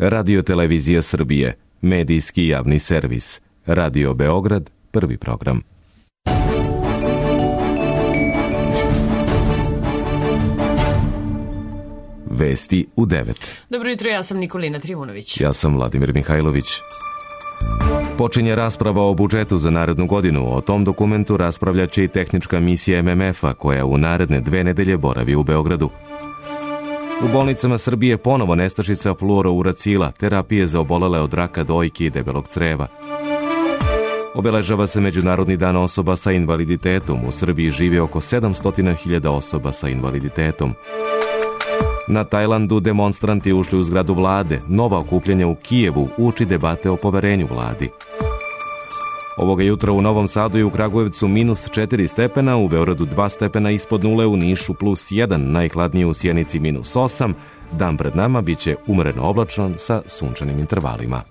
Radio Televizija Srbije, medijski javni servis. Radio Beograd, prvi program. Vesti u 9. Dobro jutro, ja sam Nikolina Trivunović. Ja sam Vladimir Mihajlović. Počinje rasprava o budžetu za narednu godinu. O tom dokumentu raspravljaće i tehnička misija MMF-a koja u naredne 2 nedelje boravi u Beogradu. U bolnicama Srbije ponovo nestašica fluorouracila, terapije za obolele od raka dojke i debelog creva. Obeležava se Međunarodni dan osoba sa invaliditetom. U Srbiji živi oko 700.000 osoba sa invaliditetom. Na Tajlandu demonstranti ušli u zgradu vlade. Nova okupljanja u Kijevu uči debate o poverenju vladi. Ovoga jutra u Novom Sadu i u Kragujevcu -4 stepena, u Beogradu 2 stepena ispod nule, u Nišu +1, najhladnije u Sjenici -8. Dan pred nama biće umereno oblačan sa sunčanim intervalima.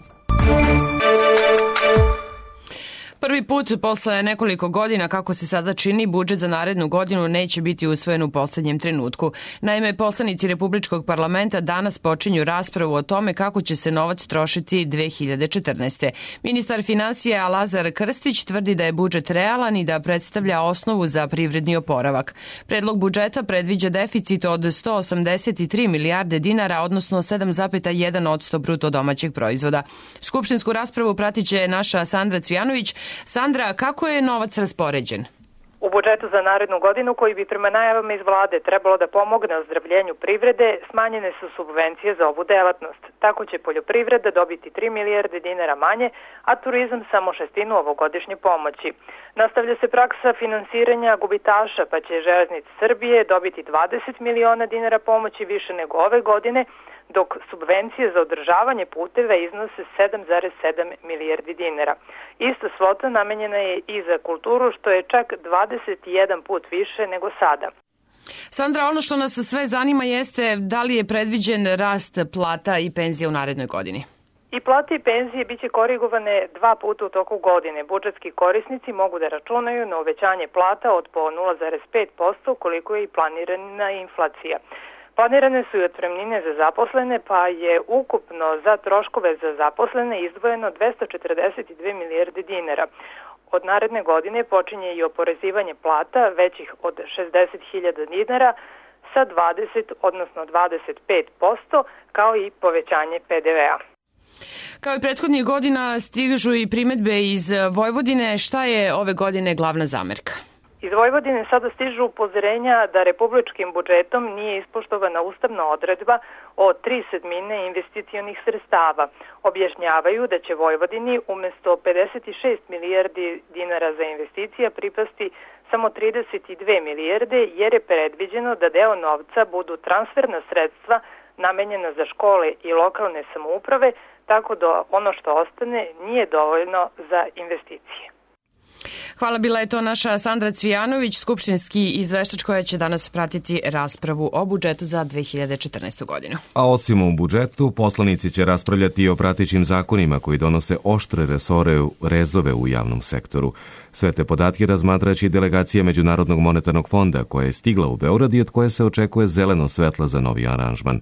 Prvi put posle nekoliko godina, kako se sada čini, budžet za narednu godinu neće biti usvojen u poslednjem trenutku. Naime, poslanici Republičkog parlamenta danas počinju raspravu o tome kako će se novac trošiti 2014. Ministar finansija Lazar Krstić tvrdi da je budžet realan i da predstavlja osnovu za privredni oporavak. Predlog budžeta predviđa deficit od 183 milijarde dinara, odnosno 7,1% bruto domaćeg proizvoda. Skupštinsku raspravu pratiće naša Sandra Cvijanović. Sandra, kako je novac raspoređen? U budžetu za narednu godinu, koji bi prema najavama iz vlade trebalo da pomogne ozdravljenju privrede, smanjene su subvencije za ovu delatnost. Tako će poljoprivreda dobiti 3 milijarde dinara manje, a turizam samo 1/6 ovogodišnje pomoći. Nastavlja se praksa finansiranja gubitaša, pa će Železnice Srbije dobiti 20 miliona dinara pomoći više nego ove godine, dok subvencije za održavanje puteva iznose 7,7 milijardi dinara. Ista svota namenjena je i za kulturu, što je čak 21 put više nego sada. Sandra, ono što nas sve zanima jeste da li je predviđen rast plata i penzija u narednoj godini? I plate i penzije biće korigovane 2 puta u toku godine. Budžetski korisnici mogu da računaju na uvećanje plata od po 0,5%, koliko je i planirana inflacija. Planirane su i otpremnine za zaposlene, pa je ukupno za troškove za zaposlene izdvojeno 242 milijarde dinara. Od naredne godine počinje i oporezivanje plata većih od 60.000 dinara sa 20, odnosno 25%, kao i povećanje PDV-a. Kao i prethodnih godina stižu i primetbe iz Vojvodine. Šta je ove godine glavna zamerka? Iz Vojvodine sada stižu upozorenja da republičkim budžetom nije ispoštovana ustavna odredba o 3/7 investicionih sredstava. Objašnjavaju da će Vojvodini umesto 56 milijardi dinara za investicija pripasti samo 32 milijarde, jer je predviđeno da deo novca budu transferna sredstva namenjena za škole i lokalne samouprave, tako da ono što ostane nije dovoljno za investicije. Hvala, bila je to naša Sandra Cvijanović, skupštinski izveštač koja će danas pratiti raspravu o budžetu za 2014. godinu. A osim u budžetu, poslanici će raspravljati i o pratećim zakonima koji donose oštre rezove u javnom sektoru. Sve te podatke razmatraće delegacija Međunarodnog monetarnog fonda koja je stigla u Beograd i od koje se očekuje zeleno svetlo za novi aranžman.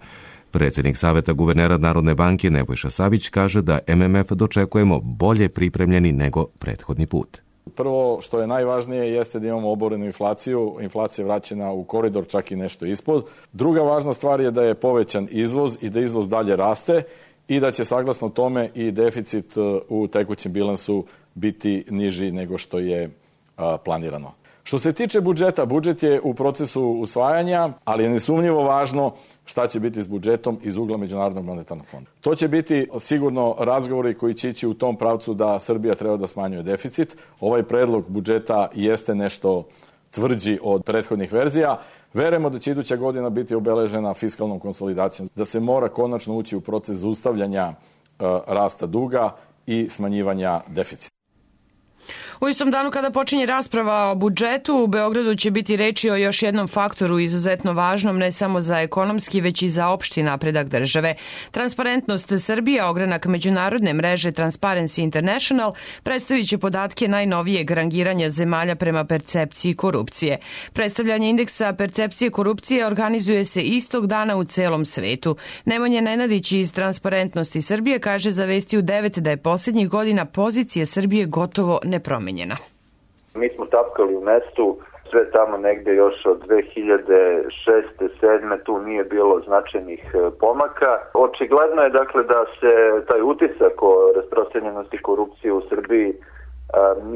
Predsjednik Saveta guvernera Narodne banke Nebojša Savić kaže da MMF dočekujemo bolje pripremljeni nego prethodni put. Prvo što je najvažnije jeste da imamo oborenu inflaciju. Inflacija je vraćena u koridor, čak i nešto ispod. Druga važna stvar je da je povećan izvoz i da izvoz dalje raste i da će saglasno tome i deficit u tekućem bilansu biti niži nego što je planirano. Što se tiče budžeta, budžet je u procesu usvajanja, ali je nesumnjivo važno šta će biti s budžetom iz ugla Međunarodnog monetarnog fonda. To će biti sigurno razgovori koji će ići u tom pravcu da Srbija treba da smanjuje deficit. Ovaj predlog budžeta jeste nešto tvrđi od prethodnih verzija. Verujemo da će iduća godina biti obeležena fiskalnom konsolidacijom, da se mora konačno ući u proces zaustavljanja rasta duga i smanjivanja deficita. U istom danu kada počinje rasprava o budžetu, u Beogradu će biti reči o još jednom faktoru izuzetno važnom ne samo za ekonomski, već i za opšti napredak države. Transparentnost Srbije, ogranak međunarodne mreže Transparency International, predstavit će podatke najnovijeg rangiranja zemalja prema percepciji korupcije. Predstavljanje indeksa percepcije korupcije organizuje se istog dana u celom svetu. Nemanja Nenadić iz Transparentnosti Srbije kaže za Vesti u 9 da je posljednjih godina pozicija Srbije gotovo nepromenjena. Mi smo tapkali u mestu, sve tamo negde još od 2006-2007. tu nije bilo značajnih pomaka. Očigledno je dakle da se taj utisak o rasprostranjenosti korupcije u Srbiji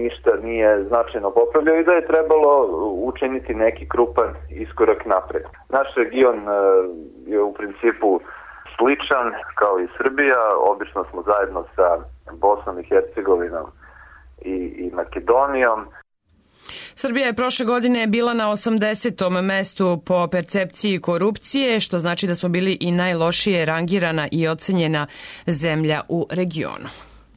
ništa nije značajno popravljao i da je trebalo učiniti neki krupan iskorak napred. Naš region je u principu sličan kao i Srbija, obično smo zajedno sa Bosnom i Hercegovinom i Makedonijom. Srbija je prošle godine bila na 80. mestu po percepciji korupcije, što znači da smo bili i najlošije rangirana i ocenjena zemlja u regionu.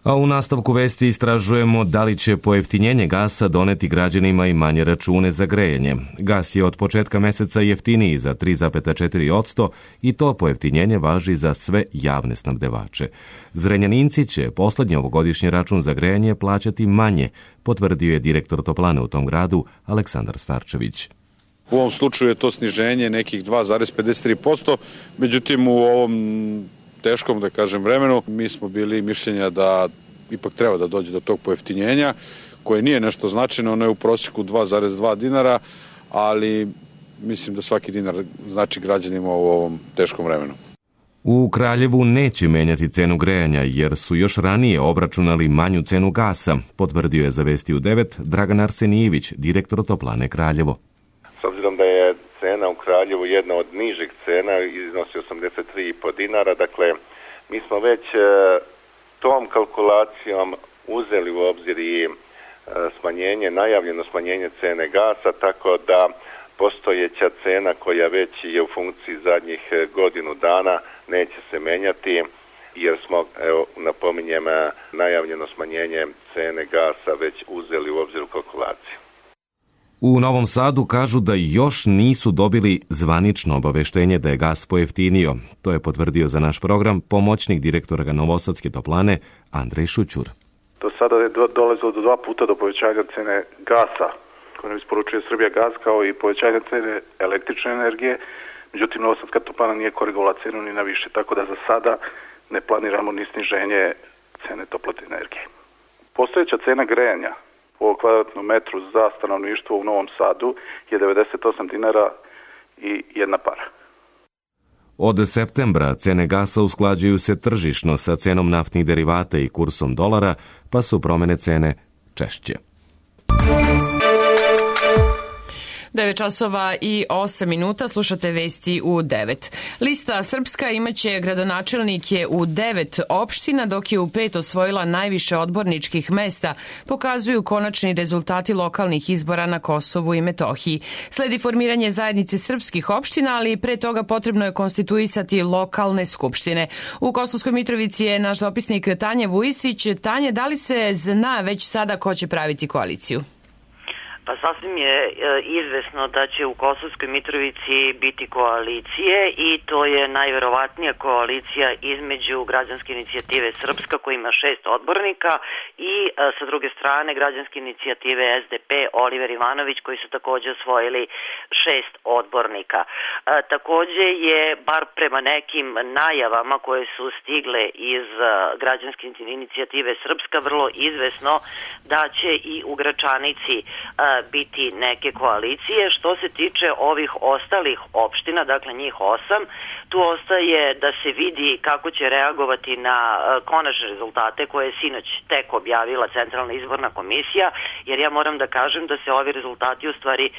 A u nastavku vesti istražujemo da li će pojeftinjenje gasa doneti građanima i manje račune za grejanje. Gas je od početka meseca jeftiniji za 3,4% i to pojeftinjenje važi za sve javne snabdevače. Zrenjaninci će poslednji ovogodišnji račun za grejanje plaćati manje, potvrdio je direktor toplane u tom gradu Aleksandar Starčević. U ovom slučaju je to sniženje nekih 2,53%, međutim u ovom teškom, da kažem, vremenu, mi smo bili mišljenja da ipak treba da dođe do tog pojeftinjenja, koje nije nešto značajno, ono je u prosjeku 2,2 dinara, ali mislim da svaki dinar znači građanima u ovom teškom vremenu. U Kraljevu neće menjati cenu grejanja, jer su još ranije obračunali manju cenu gasa, potvrdio je za Vesti u 9 Dragan Arsenijević, direktor toplane Kraljevo. S obzirom da je cena u Kraljevu jedna od nižih cena, iznosi 83,5 dinara, dakle mi smo već tom kalkulacijom uzeli u obzir i najavljeno smanjenje cene gasa, tako da postojeća cena koja već je u funkciji zadnjih godinu dana neće se menjati, jer smo, napominjem, najavljeno smanjenje cene gasa već uzeli u obzir u kalkulaciju. U Novom Sadu kažu da još nisu dobili zvanično obaveštenje da je gas pojeftinio. To je potvrdio za naš program pomoćnik direktora Novosadske toplane Andrej Šućur. Do sada je dolazilo do 2 puta do povećanja cene gasa koje nam isporučuje Srbija gas, kao i povećanja cene električne energije. Međutim, Novosadska toplana nije korigovala cenu ni na više, tako da za sada ne planiramo ni sniženje cene toplotne energije. Postojeća cena grejanja po kvadratnom metru za stanovništvo u Novom Sadu je 98 dinara i 1 para. Od septembra cene gasa usklađuju se tržišno sa cenom naftnih derivata i kursom dolara, pa su promene cene češće. 9 časova i 8 minuta, slušate Vesti u 9. Lista Srpska imaće gradonačelnike u 9 opština, dok je u 5 osvojila najviše odborničkih mesta, pokazuju konačni rezultati lokalnih izbora na Kosovu i Metohiji. Sledi formiranje zajednice srpskih opština, ali pre toga potrebno je konstituisati lokalne skupštine. U Kosovskoj Mitrovici je naš dopisnik Tanja Vujisić. Tanja, da li se zna već sada ko će praviti koaliciju? Pa sasvim je izvesno da će u Kosovskoj Mitrovici biti koalicije i to je najverovatnija koalicija između Građanske inicijative Srpska koja ima 6 odbornika i sa druge strane Građanske inicijative SDP Oliver Ivanović koji su takođe osvojili 6 odbornika. Takođe je, bar prema nekim najavama koje su stigle iz Građanske inicijative Srpska, vrlo izvesno da će i u Gračanici biti neke koalicije. Što se tiče ovih ostalih opština, dakle njih 8, tu ostaje da se vidi kako će reagovati na konačne rezultate koje je sinoć tek objavila Centralna izborna komisija, jer ja moram da kažem da se ovi rezultati u stvari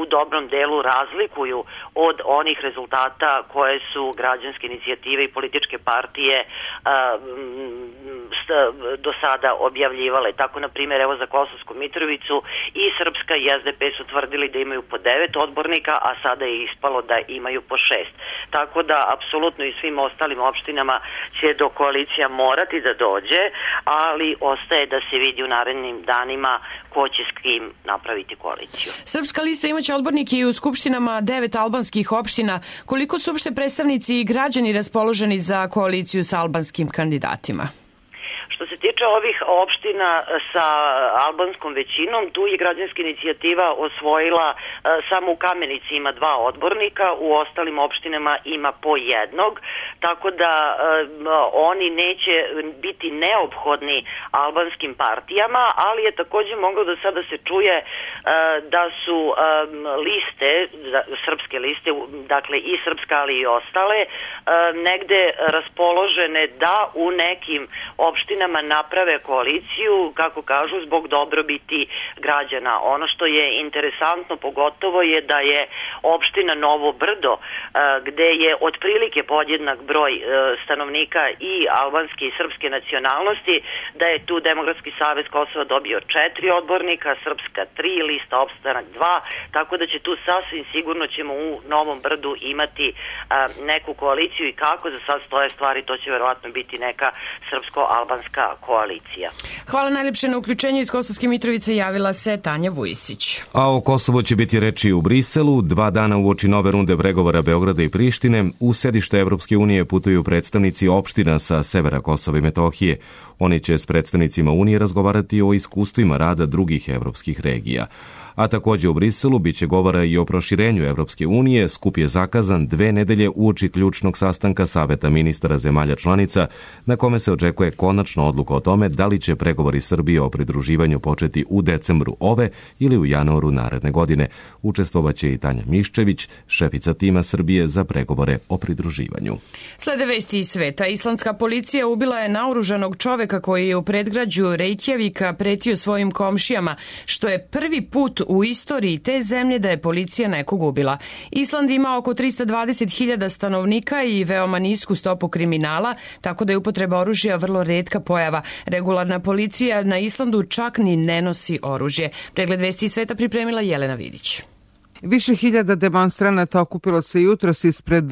u dobrom delu razlikuju od onih rezultata koje su građanske inicijative i političke partije do sada objavljivale. Tako, na primjer, evo za Kosovsku Mitrovicu i Srpska i SDP su tvrdili da imaju po 9 odbornika, a sada je ispalo da imaju po 6. Tako da, apsolutno i svim ostalim opštinama će do koalicija morati da dođe, ali ostaje da se vidi u narednim danima ko će s kim napraviti koaliciju. Srpska lista imaće odbornike i u skupštinama 9 albanskih opština. Koliko su uopšte predstavnici i građani raspoloženi za koaliciju sa albanskim kandidatima? Što se tiče ovih opština sa albanskom većinom, tu je građanska inicijativa osvojila samo u Kamenici ima 2 odbornika, u ostalim opštinama ima po 1, tako da oni neće biti neophodni albanskim partijama, ali je takođe moglo da sada se čuje da su liste, srpske liste, dakle i srpska ali i ostale, negde raspoložene da u nekim opštinama naprave koaliciju, kako kažu, zbog dobrobiti građana. Ono što je interesantno pogotovo je da je opština Novo Brdo, gde je otprilike podjednak broj stanovnika i albanske i srpske nacionalnosti, da je tu Demokratski savez Kosova dobio 4 odbornika, Srpska 3, Lista opstanak 2, tako da će tu sasvim sigurno ćemo u Novom Brdu imati neku koaliciju i kako za sad stoje stvari, to će verovatno biti neka srpsko-albanska koalicija. Hvala najlepše na uključenju. Iz Kosovske Mitrovice javila se Tanja Vujisić. A o Kosovu će biti reči u Briselu. 2 dana uoči nove runde pregovora Beograda i Prištine u sedište Evropske unije putuju predstavnici opština sa severa Kosova i Metohije. Oni će s predstavnicima Unije razgovarati o iskustvima rada drugih evropskih regija. A takođe u Briselu biće govora i o proširenju Evropske unije. Skup je zakazan 2 nedelje uoči ključnog sastanka Saveta ministara zemalja članica, na kome se očekuje konačna odluka o tome da li će pregovori Srbije o pridruživanju početi u decembru ove ili u januaru naredne godine. Učestvovaće i Tanja Miščević, šefica tima Srbije za pregovore o pridruživanju. Slede vesti iz sveta. Islandska policija ubila je naoružanog čoveka koji je u predgrađu Reykjavika pretio svojim komšijama, što je prvi put u istoriji te zemlje da je policija nekog ubila. Island ima oko 320.000 stanovnika i veoma nisku stopu kriminala, tako da je upotreba oružja vrlo retka pojava. Regularna policija na Islandu čak ni ne nosi oružje. Pregled vesti iz sveta pripremila Jelena Vidić. Više hiljada demonstranata okupilo se jutros ispred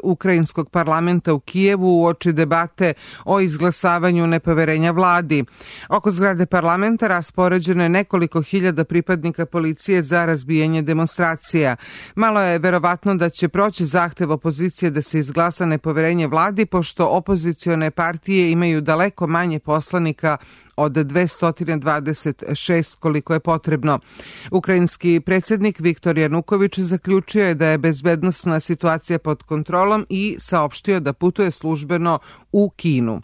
ukrajinskog parlamenta u Kijevu uoči debate o izglasavanju nepoverenja vladi. Oko zgrade parlamenta raspoređeno je nekoliko hiljada pripadnika policije za razbijanje demonstracija. Malo je verovatno da će proći zahtev opozicije da se izglasa nepoverenje vladi, pošto opozicione partije imaju daleko manje poslanika od 226 koliko je potrebno. Ukrajinski predsjednik Viktor Januković zaključio je da je bezbednosna situacija pod kontrolom i saopštio da putuje službeno u Kinu.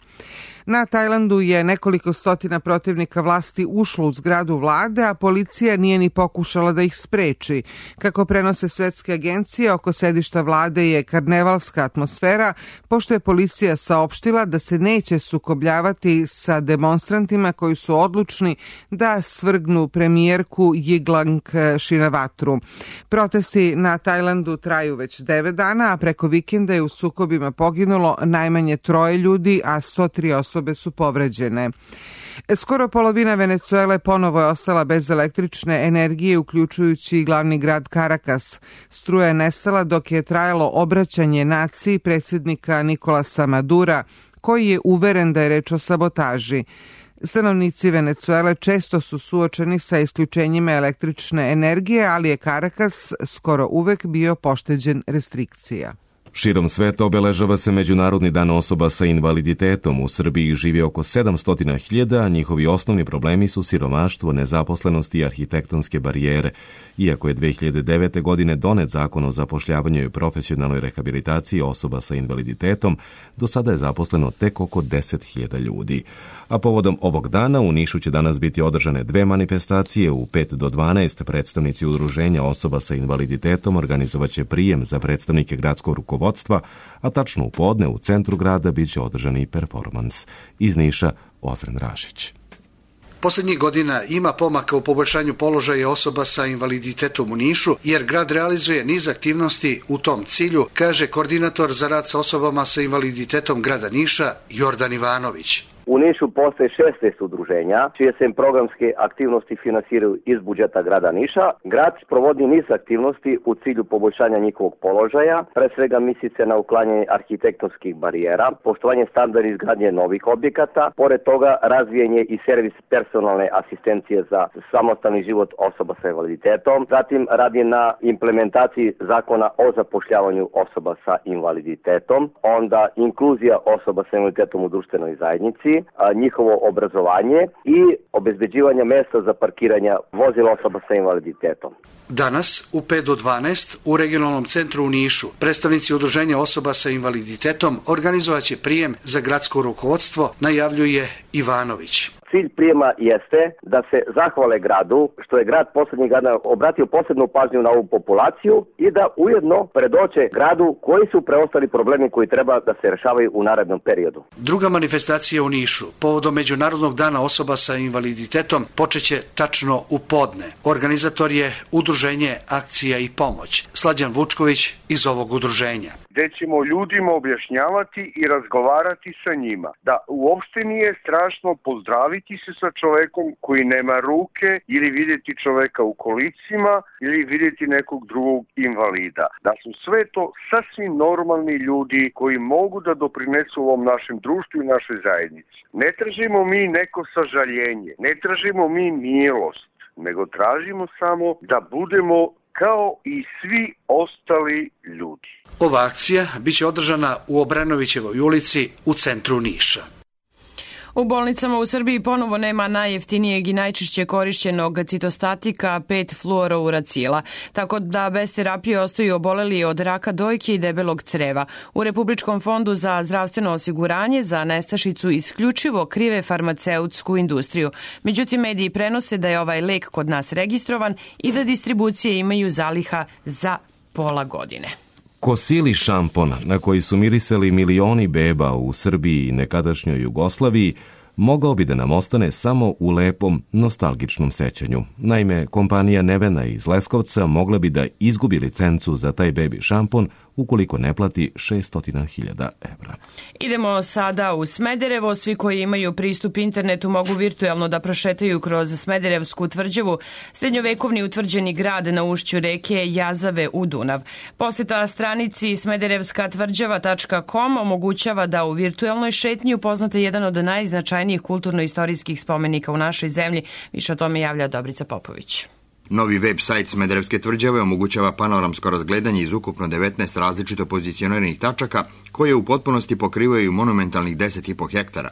Na Tajlandu je nekoliko stotina protivnika vlasti ušlo u zgradu vlade, a policija nije ni pokušala da ih spreči. Kako prenose svetske agencije, oko sedišta vlade je karnevalska atmosfera, pošto je policija saopštila da se neće sukobljavati sa demonstrantima koji su odlučni da svrgnu premijerku Yingluck Shinawatru. Protesti na Tajlandu traju već 9 dana, a preko vikenda je u sukobima poginulo najmanje 3 ljudi, a 103 osobe su povređene. Skoro polovina Venecuele ponovo je ostala bez električne energije, uključujući i glavni grad Caracas. Struja je nestala dok je trajalo obraćanje naciji predsjednika Nikolasa Madura, koji je uveren da je reč o sabotaži. Stanovnici Venecuele često su suočeni sa isključenjima električne energije, ali je Caracas skoro uvek bio pošteđen restrikcija. Širom sveta obeležava se Međunarodni dan osoba sa invaliditetom. U Srbiji živi oko 700.000, a njihovi osnovni problemi su siromaštvo, nezaposlenost i arhitektonske barijere. Iako je 2009. godine donet zakon o zapošljavanju i profesionalnoj rehabilitaciji osoba sa invaliditetom, do sada je zaposleno tek oko 10.000 ljudi. A povodom ovog dana u Nišu će danas biti održane 2 manifestacije. U 5 do 12 predstavnici udruženja osoba sa invaliditetom organizovaće prijem za predstavnike gradskog rukovodstva, a tačno u podne u centru grada biće održan i performans. Iz Niša, Ozren Rašić. Poslednjih godina ima pomaka u poboljšanju položaja osoba sa invaliditetom u Nišu, jer grad realizuje niz aktivnosti u tom cilju, kaže koordinator za rad sa osobama sa invaliditetom grada Niša, Jordan Ivanović. U Nišu postoje 16 udruženja, čije se programske aktivnosti finansiraju iz budžeta grada Niša. Grad sprovodi niz aktivnosti u cilju poboljšanja njihovog položaja, pre svega misli se na uklanjanje arhitektonskih barijera, poštovanje standarda izgradnje novih objekata, pored toga razvijanje i servis personalne asistencije za samostalni život osoba sa invaliditetom, zatim radi na implementaciji zakona o zapošljavanju osoba sa invaliditetom, onda inkluzija osoba sa invaliditetom u društvenoj zajednici, njihovo obrazovanje i obezbeđivanje mesta za parkiranje vozila osoba sa invaliditetom. Danas u 5 do 12 u regionalnom centru u Nišu predstavnici udruženja osoba sa invaliditetom organizovaće prijem za gradsko rukovodstvo, najavljuje Ivanović. Cilj prijema jeste da se zahvale gradu što je grad poslednjih godina obratio posebnu pažnju na ovu populaciju i da ujedno predoče gradu koji su preostali problemi koji treba da se rešavaju u narednom periodu. Druga manifestacija u Nišu povodom Međunarodnog dana osoba sa invaliditetom počeće tačno u podne. Organizator je udruženje Akcija i pomoć. Slađan Vučković iz ovog udruženja. Gde ćemo ljudima objašnjavati i razgovarati sa njima. Da uopšte nije strašno pozdraviti se sa čovekom koji nema ruke ili vidjeti čoveka u kolicima ili vidjeti nekog drugog invalida. Da su sve to sasvim normalni ljudi koji mogu da doprinesu ovom našem društvu i našoj zajednici. Ne tražimo mi neko sažaljenje, ne tražimo mi milost, nego tražimo samo da budemo kao i svi ostali ljudi. Ova akcija biće održana u Obrenovićevoj ulici u centru Niša. U bolnicama u Srbiji ponovo nema najjeftinijeg i najčešće korišćenog citostatika 5-fluorouracila, tako da bez terapije ostaju oboleli od raka dojke i debelog creva. U Republičkom fondu za zdravstveno osiguranje za nestašicu isključivo krive farmaceutsku industriju. Međutim, mediji prenose da je ovaj lek kod nas registrovan i da distribucije imaju zaliha za pola godine. Kosili šampon, na koji su mirisali milioni beba u Srbiji i nekadašnjoj Jugoslaviji, mogao bi da nam ostane samo u lepom, nostalgičnom sećanju. Naime, kompanija Nevena iz Leskovca mogla bi da izgubi licencu za taj bebi šampon ukoliko ne plati 600.000 evra. Idemo sada u Smederevo. Svi koji imaju pristup internetu mogu virtuelno da prošetaju kroz Smederevsku tvrđavu, srednjovekovni utvrđeni grad na ušću reke Jazave u Dunav. Poseta stranici smederevskatvrđava.com omogućava da u virtuelnoj šetnji upoznate jedan od najznačajnijih kulturno-istorijskih spomenika u našoj zemlji. Više o tome javlja Dobrica Popović. Novi web sajt Smederevske tvrđave omogućava panoramsko razgledanje iz ukupno 19 različito pozicioniranih tačaka koje u potpunosti pokrivaju monumentalnih 10,5 hektara.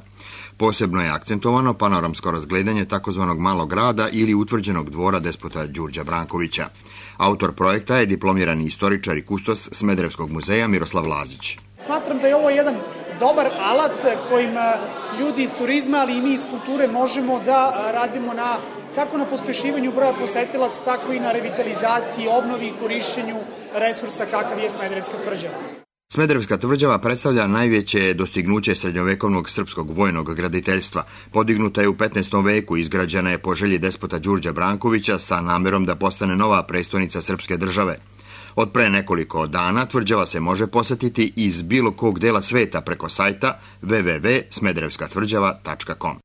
Posebno je akcentovano panoramsko razgledanje takozvanog malog grada ili utvrđenog dvora despota Đurđa Brankovića. Autor projekta je diplomirani istoričar i kustos Smederevskog muzeja Miroslav Lazić. Smatram da je ovo jedan dobar alat kojim ljudi iz turizma, ali i mi iz kulture možemo da radimo kako na pospešivanju broja posetilaca, tako i na revitalizaciji, obnovi i korišćenju resursa kakav je Smederevska tvrđava. Smederevska tvrđava predstavlja najveće dostignuće srednjovekovnog srpskog vojnog graditeljstva. Podignuta je u 15. veku, izgrađena je po želji despota Đurđa Brankovića sa namerom da postane nova prestonica srpske države. Od pre nekoliko dana tvrđava se može posetiti iz bilo kog dela sveta preko sajta www.smederevskatvrđava.com.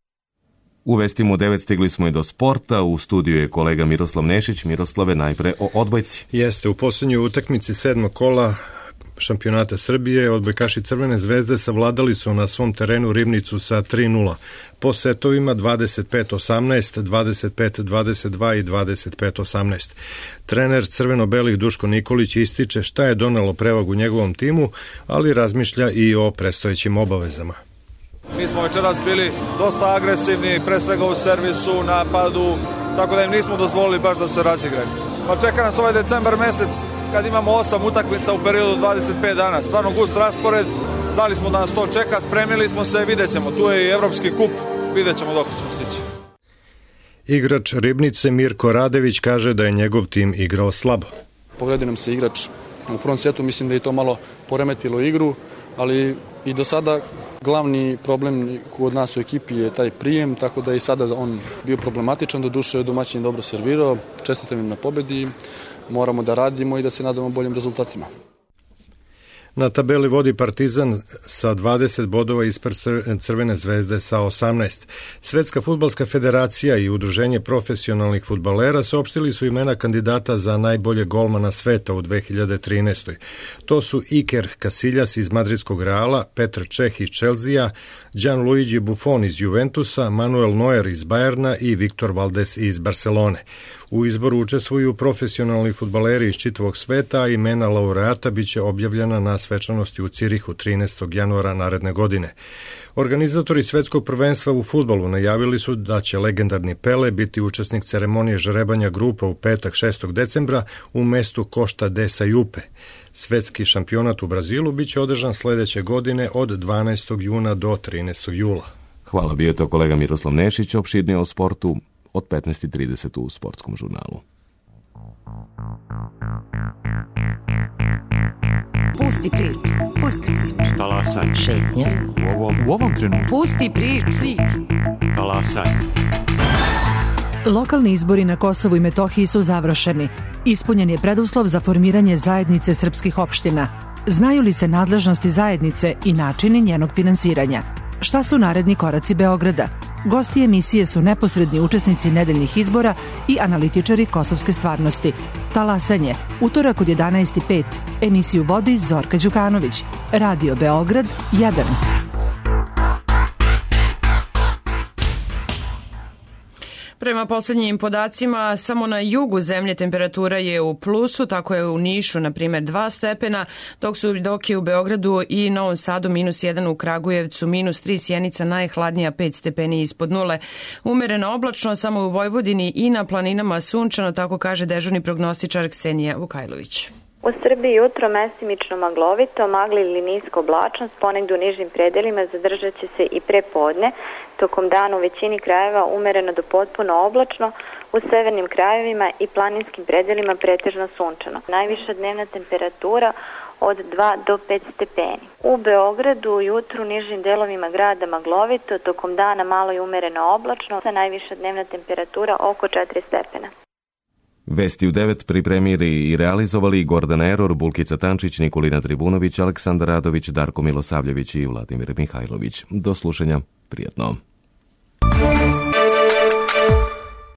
U vestima u 9 stigli smo i do sporta. U studiju je kolega Miroslav Nešić. Miroslave, najpre o odbojci. Jeste, u poslednjoj utakmici 7. kola šampionata Srbije odbojkaši Crvene zvezde savladali su na svom terenu Ribnicu sa 3:0. Po setovima 25-18, 25-22 i 25-18. Trener crveno-belih Duško Nikolić ističe šta je donelo prevagu njegovom timu, ali razmišlja i o predstojećim obavezama. Mi smo večeras bili dosta agresivni, pre svega u servisu, napadu, tako da im nismo dozvolili baš da se razigraju. Pa čeka nas ovaj decembar mesec kad imamo 8 utakmica u periodu 25 dana. Stvarno gust raspored, znali smo da nas to čeka, spremili smo se, vidjet ćemo. Tu je i Evropski kup, vidjet ćemo dok ćemo stići. Igrač Ribnice Mirko Radević kaže da je njegov tim igrao slabo. Povredio nam se igrač u prvom setu, mislim da je to malo poremetilo igru, ali i do sada glavni problem kod nas u ekipi je taj prijem, tako da je i sada on bio problematičan, do duše domaćin dobro servirao, čestitam im na pobedi, moramo da radimo i da se nadamo boljim rezultatima. Na tabeli vodi Partizan sa 20 bodova ispred Crvene zvezde sa 18. Svetska fudbalska federacija i Udruženje profesionalnih fudbalera saopštili su imena kandidata za najbolje golmana sveta u 2013. To su Iker Casillas iz Madridskog Reala, Petr Čeh iz Chelsea, Gianluigi Buffon iz Juventusa, Manuel Neuer iz Bajerna i Viktor Valdes iz Barcelone. U izboru učestvuju profesionalni fudbaleri iz čitavog sveta, a imena laureata biće objavljena na svečanosti u Cirihu 13. januara naredne godine. Organizatori svetskog prvenstva u fudbalu najavili su da će legendarni Pele biti učesnik ceremonije žrebanja grupa u petak 6. decembra u mestu Costa de Sajupe. Svetski šampionat u Brazilu biće održan sledeće godine od 12. juna do 13. jula. Hvala, bio je to kolega Miroslav Nešić, opširnije o sportu od 15:30 u Sportskom žurnalu. Pusti priču, pusti priču. Talasaj. Šetnja. U ovom trenutku. Pusti priču. Talasaj. Lokalni izbori na Kosovu i Metohiji su završeni. Ispunjen je preduslov za formiranje zajednice srpskih opština. Znaju li se nadležnosti zajednice i načini njenog finansiranja? Šta su naredni koraci Beograda? Gosti emisije su neposredni učesnici nedeljnih izbora i analitičari kosovske stvarnosti. Talasanje, utorak od 11:05. Emisiju vodi Zorka Đukanović. Radio Beograd 1. Prema poslednjim podacima, samo na jugu zemlje temperatura je u plusu, tako je u Nišu, na primjer, 2 stepena, dok je u Beogradu i Novom Sadu -1, u Kragujevcu -3, Sjenica najhladnija 5 stepeni ispod nule. Umereno oblačno, samo u Vojvodini i na planinama sunčano, tako kaže dežurni prognostičar Ksenija Vukajlović. U Srbiji jutro mestimično maglovito, magli ili nisko oblačnost, ponegdje u nižim predelima zadržat će se i prepodne. Tokom dana u većini krajeva umereno do potpuno oblačno, u severnim krajevima i planinskim predelima pretežno sunčano. Najviša dnevna temperatura od 2 do 5 stepeni. U Beogradu jutru u nižim delovima grada maglovito, tokom dana malo i umereno oblačno, sa najviša dnevna temperatura oko 4 stepena. Vesti u 9 pripremili i realizovali Gordana Eror, Bulkica Tančić, Nikolina Tribunović, Aleksandar Radović, Darko Milosavljević i Vladimir Mihajlović. Do slušanja, prijatno.